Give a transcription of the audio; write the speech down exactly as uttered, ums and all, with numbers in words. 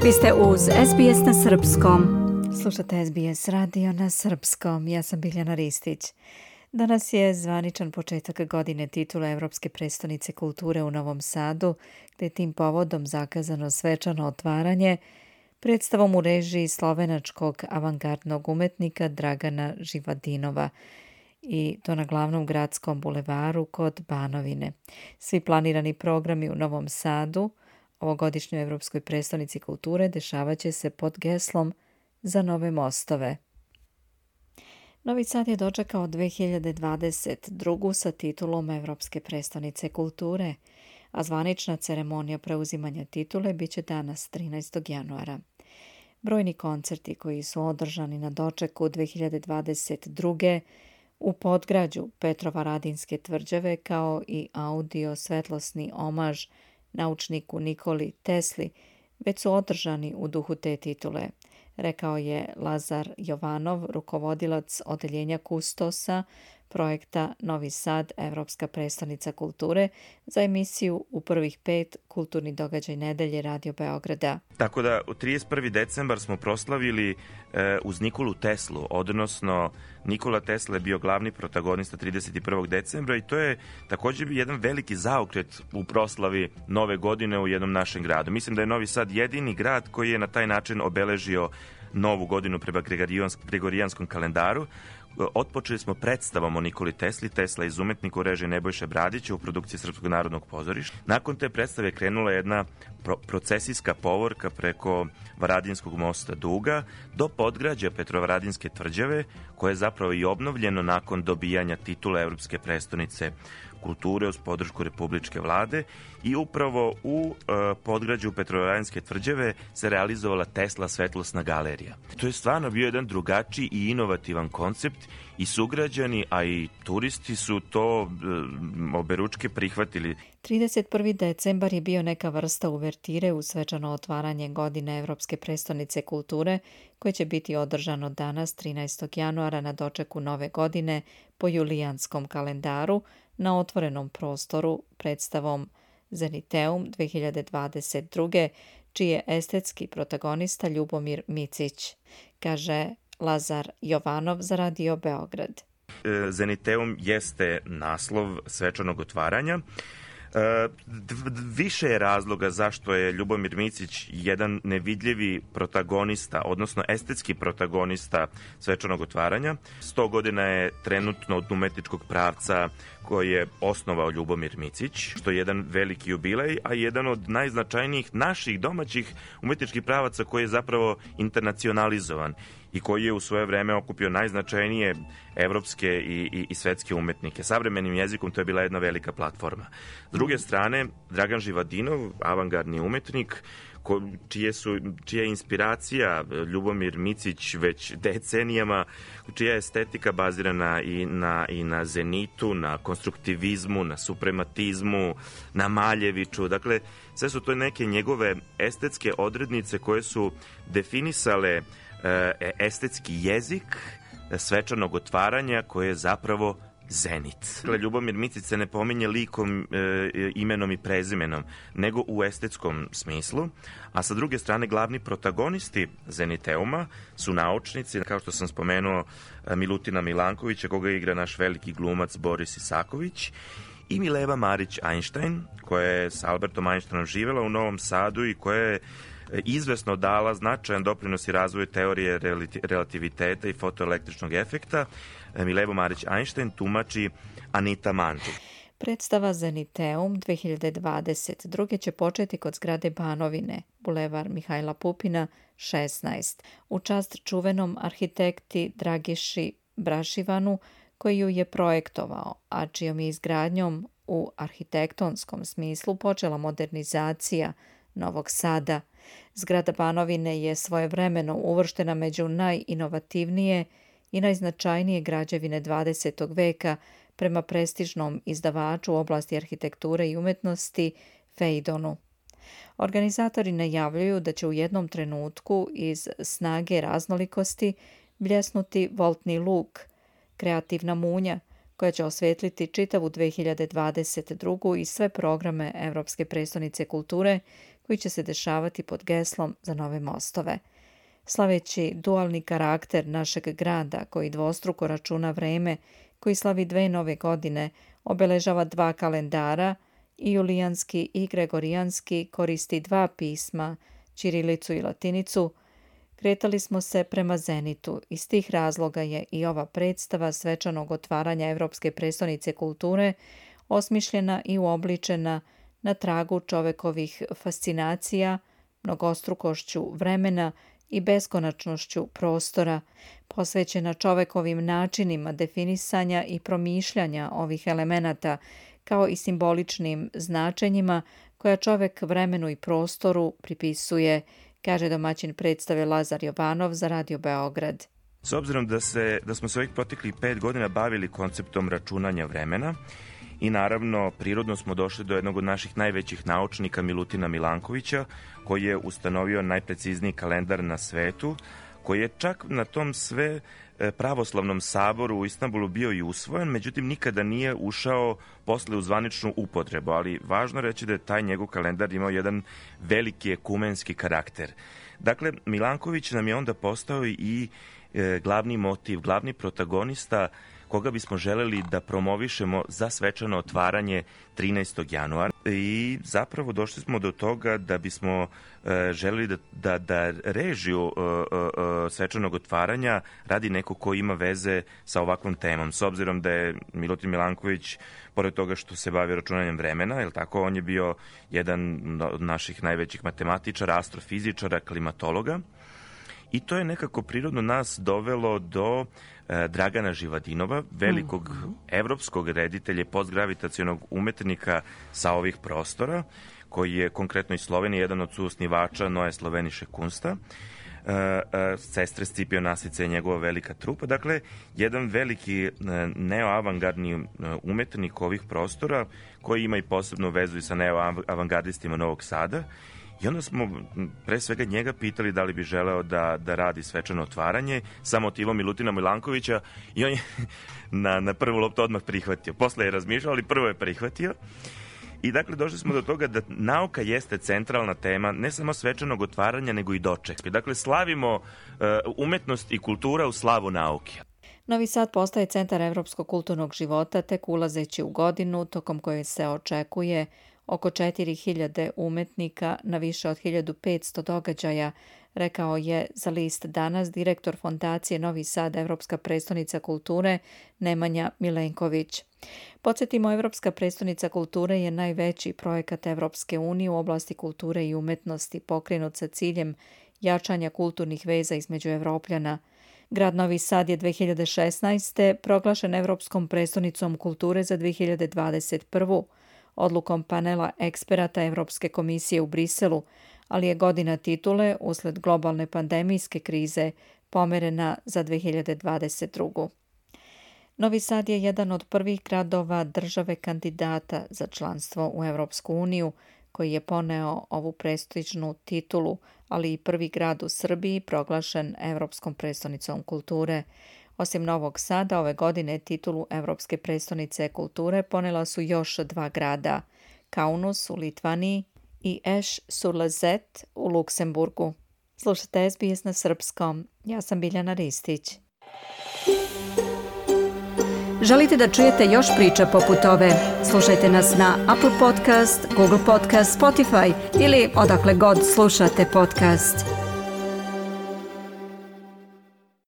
Vi ste uz S B S na srpskom. Slušate S B S radio na srpskom. Ja sam Biljana Ristić. Danas je zvaničan početak godine titule Evropske prestonice kulture u Novom Sadu, gde je tim povodom zakazano svečano otvaranje predstavom u režiji slovenačkog avangardnog umetnika Dragana Živadinova, i to na glavnom gradskom bulevaru kod Banovine. Svi planirani programi u Novom Sadu, ovogodišnjoj Evropskoj prestonici kulture, dešavaće se pod geslom Za nove mostove. Novi Sad je dočekao dve hiljade dvadeset drugu sa titulom Evropske prestonice kulture, a zvanična ceremonija preuzimanja titule biće danas trinaestog januara. Brojni koncerti koji su održani na dočeku dve hiljade dvadeset druge u podgrađu Petrovaradinske tvrđave, kao i audio svetlosni omaž naučniku Nikoli Tesli, već su održani u duhu te titule, rekao je Lazar Jovanov, rukovodilac odeljenja kustosa projekta Novi Sad, Evropska prestonica kulture, za emisiju U prvih pet kulturni događaj nedelje Radio Beograda. Tako da u trideset prvi decembar smo proslavili e, uz Nikolu Teslu, odnosno Nikola Tesla je bio glavni protagonista trideset prvog decembra i to je također jedan veliki zaokret u proslavi nove godine u jednom našem gradu. Mislim da je Novi Sad jedini grad koji je na taj način obeležio novu godinu prema gregorijanskom kalendaru. Otpočeli smo predstavom o Nikoli Tesli, Tesla iz umetnika u režiji Nebojše Bradića u produkciji Srpskog narodnog pozorišta. Nakon te predstave je krenula jedna pro- procesijska povorka preko Varadinskog mosta Duga do podgrađa Petrovaradinske tvrđave, koje je zapravo i obnovljeno nakon dobijanja titula Evropske prestonice kulture uz podršku republičke vlade, i upravo u e, podgrađu Petrovaradinske tvrđave se realizovala Tesla svetlosna galerija. To je stvarno bio jedan drugačiji i inovativan koncept i sugrađani, a i turisti su to e, oberučke prihvatili. trideset prvi decembar je bio neka vrsta uvertire u svečano otvaranje godine Evropske prestonice kulture, koje će biti održano danas trinaestog januara na dočeku nove godine po julijanskom kalendaru na otvorenom prostoru predstavom Zeniteum dve hiljade dvadeset druge, čiji je estetski protagonista Ljubomir Micić, kaže Lazar Jovanov za Radio Beograd. Zeniteum jeste naslov svečanog otvaranja. Više je razloga zašto je Ljubomir Micić jedan nevidljivi protagonista, odnosno estetski protagonista svečanog otvaranja. sto godina je trenutno od umetničkog pravca koji je osnovao Ljubomir Micić, što je jedan veliki jubilej, a jedan od najznačajnijih naših domaćih umetničkih pravaca koji je zapravo internacionalizovan i koji je u svoje vreme okupio najznačajnije evropske i, i, i svetske umetnike. Savremenim jezikom to je bila jedna velika platforma. S druge strane, Dragan Živadinov, avangardni umetnik, ko, čije su, čija je inspiracija Ljubomir Micić već decenijama, čija je estetika bazirana i na, i na zenitu, na konstruktivizmu, na suprematizmu, na Maljeviću. Dakle, sve su to neke njegove estetske odrednice koje su definisale estetski jezik svečanog otvaranja, koje je zapravo zenit. Ljubomir Micić se ne pominje likom, e, imenom i prezimenom, nego u estetskom smislu, a sa druge strane glavni protagonisti Zeniteuma su naučnici, kao što sam spomenuo, Milutina Milankovića, koga igra naš veliki glumac Boris Isaković, i Mileva Marić Einstein, koja je s Albertom Einsteinom živela u Novom Sadu i koja je izvesno dala značajan doprinos i razvoju teorije relativiteta i fotoelektričnog efekta. Milevo Marić Einstein tumači Anita Mančić. Predstava Zeniteum dve hiljade dvadeset druge će početi kod zgrade Banovine, bulevar Mihajla Pupina šesnaest, u čast čuvenom arhitekti Dragiši Brašivanu, koji ju je projektovao, a čijom je izgradnjom u arhitektonskom smislu počela modernizacija Novog Sada. Zgrada Banovine je svojevremeno uvrštena među najinovativnije i najznačajnije građevine dvadesetog veka prema prestižnom izdavaču u oblasti arhitekture i umetnosti Fejdonu. Organizatori najavljuju da će u jednom trenutku iz snage raznolikosti bljesnuti Voltni luk, kreativna munja, koja će osvetliti čitavu dve hiljade dvadeset drugu i sve programe Evropske prestonice kulture koji će se dešavati pod geslom za nove mostove. Slaveći dualni karakter našeg grada koji dvostruko računa vreme, koji slavi dve nove godine, obeležava dva kalendara, i julijanski i gregorijanski, koristi dva pisma, ćirilicu i latinicu, kretali smo se prema zenitu. Iz tih razloga je i ova predstava svečanog otvaranja Evropske prestonice kulture osmišljena i uobličena na tragu čovekovih fascinacija, mnogostrukošću vremena i beskonačnošću prostora, posvećena čovekovim načinima definisanja i promišljanja ovih elemenata, kao i simboličnim značenjima koja čovek vremenu i prostoru pripisuje, kaže domaćin predstave Lazar Jovanov za Radio Beograd. S obzirom da, se, da smo se ovih proteklih pet godina bavili konceptom računanja vremena i naravno prirodno smo došli do jednog od naših najvećih naučnika Milutina Milankovića, koji je ustanovio najprecizniji kalendar na svetu, koji je čak na tom sve pravoslavnom saboru u Istanbulu bio i usvojen, međutim nikada nije ušao posle u zvaničnu upotrebu, ali važno reći da je taj njegov kalendar imao jedan veliki ekumenski karakter. Dakle, Milanković nam je onda postao i e, glavni motiv, glavni protagonista koga bismo želeli da promovišemo za svečano otvaranje trinaestog januara i zapravo došli smo do toga da bismo e, želeli da, da, da režiju e, e, svečanog otvaranja radi neko ko ima veze sa ovakvom temom. S obzirom da je Milutin Milanković, pored toga što se bavi računanjem vremena, je tako, on je bio jedan od naših najvećih matematičara, astrofizičara, klimatologa. I to je nekako prirodno nas dovelo do e, Dragana Živadinova, velikog mm-hmm. evropskog reditelja, postgravitacionog umetnika sa ovih prostora, koji je konkretno iz Slovenije jedan od suosnivača Neue Slovenische Kunsta. E, e, sestre Scipio Nasica je njegova velika trupa. Dakle, jedan veliki e, neoavangardni e, umetnik ovih prostora, koji ima i posebnu vezu i sa neoavangardistima Novog Sada. I onda smo pre svega njega pitali da li bi želeo da, da radi svečano otvaranje sa motivom Milutina Milankovića i on je na, na prvu loptu odmah prihvatio. Posle je razmišljao, ali prvo je prihvatio. I dakle došli smo do toga da nauka jeste centralna tema ne samo svečanog otvaranja, nego i dočeka. Dakle, slavimo uh, umetnost i kultura u slavu nauke. Novi Sad postaje centar evropskog kulturnog života tek ulazeći u godinu tokom koje se očekuje oko četiri hiljade umetnika na više od hiljadu petsto događaja, rekao je za list Danas direktor Fondacije Novi Sad Evropska prestonica kulture Nemanja Milenković. Podsjetimo, Evropska prestonica kulture je najveći projekat Evropske unije u oblasti kulture i umetnosti, pokrenut sa ciljem jačanja kulturnih veza između Evropljana. Grad Novi Sad je dve hiljade šesnaeste. proglašen Evropskom prestonicom kulture za dve hiljade dvadeset prvu. odlukom panela eksperata Evropske komisije u Briselu, ali je godina titule usled globalne pandemijske krize pomerena za dve hiljade dvadeset drugu. Novi Sad je jedan od prvih gradova države kandidata za članstvo u Evropsku uniju, koji je poneo ovu prestižnu titulu, ali i prvi grad u Srbiji proglašen Evropskom prestonicom kulture. Osim Novog Sada, ove godine titulu Evropske prestonice kulture ponela su još dva grada, Kaunus u Litvaniji i Esch-sur-Alzette u Luksemburgu. Slušate S B S na srpskom. Ja sam Biljana Ristić. Želite da čujete još priča poput ove? Slušajte nas na Apple Podcast, Google Podcast, Spotify ili odakle god slušate podcast.